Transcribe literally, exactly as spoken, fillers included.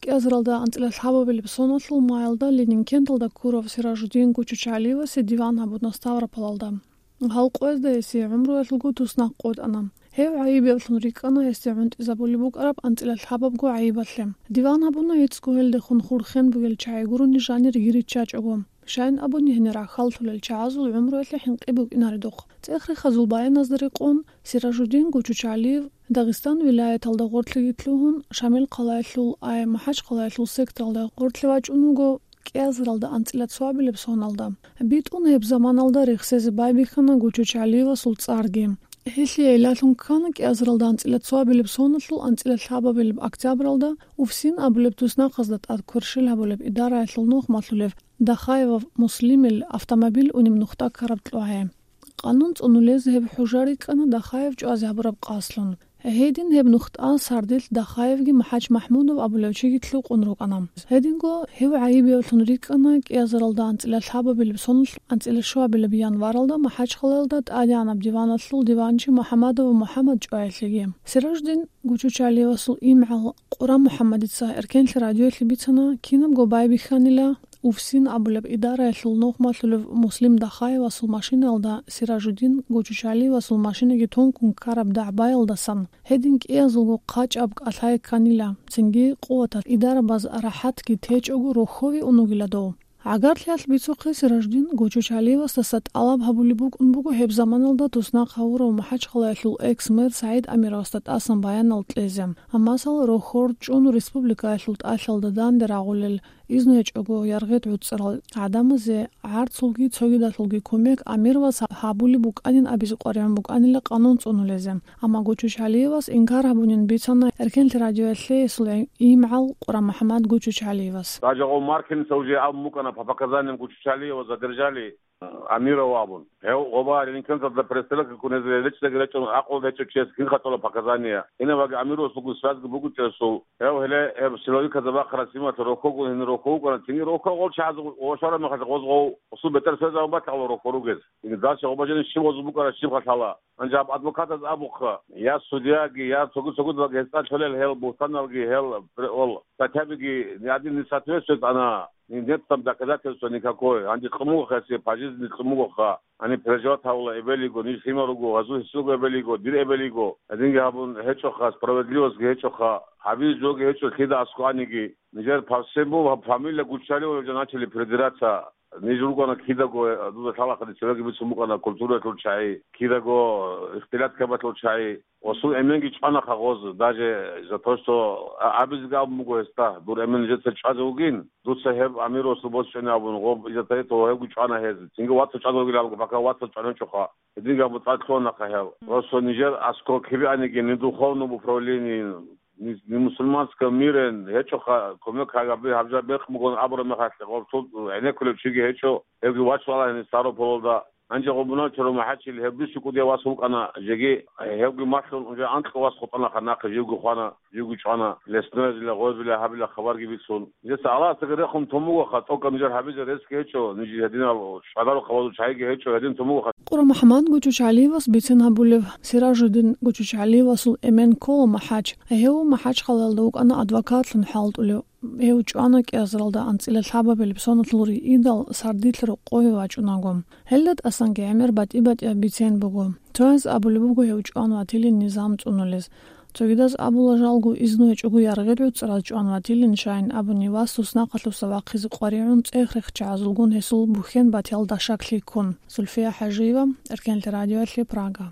кӀиазаралда анцӀила лъабабилеб соналъул маялда Ленинкенталда ккурав Сиражуддин Гучучалиевасе диван гьабуна Ставрополалда. Гьал къоязда гьесие гӀумруялъулго туснахъ къотӀана. Гьев гӀайибеблъун рикӀкӀана гьесде гӀунтӀизабулеб букӀараб анцӀила лъабабго гӀайибалъе. Диван гьабуна гьецӀго гьелдехун хурхен бугел чагӀи гурони жанир йириччачӀого. Щайин абуни, гьенир рахьаллъулел чагӀазул гӀумруялъе хӀинкъи букӀинаредухъ. ЦӀех-рехазул баяназда рекъон, Сиражуддин Гучучалиев Дагъистан вилаяталда гъорлъиги лъугьун, Шамил хъалаялъул ай МахӀачхъалаялъул секторалда гъорлъе вачӀун вуго кӀиазаралда анцӀила цоабилеб соналда. БитӀун гьеб заманалда рехсезе байбихьана Гучучалиевасул цӀарги. Гьелъие гӀиллалъун ккана кӀиазаралда анцӀила цоабилеб соналъул анцӀила лъабабилеб октябралда Уфсин абулеб туснахъазда тӀад кверщел гьабулеб идараялъул нухмалъулев Дахаев Муслимил автомобиль унеб нухда ккараб кьвагье. Къанун цӀунулез гьеб хӀужа рикӀкӀана Дахаев чӀвазе гьабураб къасдлъун. Гьедин гьеб нухда сардилъ Дахаевги МахӀач МахӀмудов абулев чиги лъукъун рукӀана. Гьединго гьев гӀайибеблъун рикӀкӀана кӀиазаралда анцӀила лъабабилеб соналъ анцӀила щуабилеб январалда МахӀачхъалаялда тӀадегӀанаб диваналъул диванчи МухӀамадов МухӀамад чӀваялъеги. Сиражуддин Гучучалиевасул имгӀал Къура МухӀамадица Эркенлъи радиоялъе бицана, кинабго байбихьанила, Уфсин абулеб идараялъул нухмалъулев Муслим Дахаевасул машинаялда Сиражуддин Гучучалиевасул машинаги тункун ккараб дагӀбаялдасан гьедин кӀиязулго хъачӀаб кӀалъай кканила, цинги къуваталъ идарабаз рахӀатги течӀого рохьове ун вугила дов. ГӀагарлъиялъ бицухъе Сиражуддин Гучучалиевасдаса тӀалаб гьабулеб букӀун буго гьеб заманалда туснахъ гьавурав МахӀачхъалаялъул экс-мэр СагӀид Амировасда тӀасан баянал кьезе. Амма масала рохьор чӀун республикаялъул тӀалъалда данде рагъулел, изну гьечӀого яргъи гӀуцӀарал гӀадамазе гӀарцулги цогидалъулги кумек Амировас гьабулеб букӀанин абизе къваригӀун букӀанила къанун цӀунулезе. Амма Гучучалиевас инкар гьабунин бицана Эркенлъи радиоялъе гьесул имгӀал Къура МухӀамад Гучучалиевас. Даже гъов Маркиница уже абун букӀана по показаниям Гучучалиева задержали, э, Амирова абун. Гьев гъоба Ленинкенталда перестрелка ккунезе речӀчӀидаги речӀчӀун, акъул гьечӀо чияс кин хатӀола показания. Гьениваги Амировас бугеб связьги бугеб чиясул. Гьев гьеле гьеб силовиказда бахъараб сималъ рохього гьенир рохьо вукӀана, цинги рохьо гъол чагӀаз гъошараб мехалъ гъоз гъов гъосул бетӀер связь абун батагъал рохьо ругез. Цинги дальше гъоба жени щиб гъоз букӀара, щиб халъала. Гьанже гьаб адвокатаз абухъа, я судьяги, я цогид-цогидалги гьесда лъолел гьел бугьтаналги, гьел пр-, ол статьябиги ни один не соответствует, ана, ни, нет там доказательства никакой. Гьанже кьун бугоха гьесие, пожизненно кьун бугоха. Гьаниб переживать гьавула эбел йиго, ниж лъимал руго, гьазул гьесулго эбел йиго, дир эбел йиго. Гьединги гьабун гьечӀоха, справедливостьги гьечӀоха, гьабизе жоги гьечӀо лъида аскӀоаниги. Нижер по всему фамилия Гуччалиева уже начали придираться. Ниж ругана кидаго, дуда лъалаха, дир цевеги бицун букӀана культураялъул чагӀи, кидаго ихтилат ккабалъул чагӀи. Гъосул эменги чӀванаха гъоз, даже за то, что а-, абизеги абун буго гьесда, дур эмен нижеца чӀвазе вугин, дуца гьеб Амировасул босчӀене абун, гъоб из-за того гьевги чӀвана гьез. Цинги вацас чӀвазе вугилан абун, пока вацас чӀваничӀоха. Гьединги абун цӀар лъугьанаха гьев. Просто нижер аскӀоб кибианиги, ни духовном управлении, ни, ни мусульманском мире гьечӀоха, кумек гьаб-, гьаб жо бехъ бугон абураб мехалъ, гъоркьул гӀенеккулев чиги гьечӀо, гьевги вачӀвала гьениб Ставрополалда. Гьанже гъоб мунагьал чорхол МахӀачил гьев бищун кӀудияв вас вукӀана, жеги гьевги малъун, уже анкьго вас хутӀанаха нахъе, живго хвана, живго чӀвана, лесноязила, гъозбила гьабила хабарги бицун. Нижеца Аллагьасдаги рехун тун бугоха, тӀокӀаб нижер гьабизе ресги гьечӀо, ниж гьединал чӀвадарухъа вазул чагӀиги гьечӀо, гьедин тун бугоха. Къура МухӀамад Гучучалиевас бицен гьабулев, Сиражуддин Гучучалиевасул эмен ккола МахӀач. Гьев МахӀачхъалаялда вукӀана адвокатлъун хӀалтӀулев. Гьев чӀвана кӀиазаралда анцӀила лъабабилеб соналъул риидал сардилъ рокъове вачӀунаго. Гьелда тӀасанги гӀемер батӀи-батӀияб бицен буго. Цояз абулеб буго гьев чӀван ватилин низам цӀунулез. Цогидаз абула жалго изну гьечӀого яргъи гӀуцӀраз чӀван ватилин, щайин абуни вас туснахъалъуса вахъизе къваригӀун цӀех-рехчагӀазулгун гьесул бухьен батиял дашаклъи ккун. Зульфия ХӀажиева, Эркенлъи радиоялъе, Прага.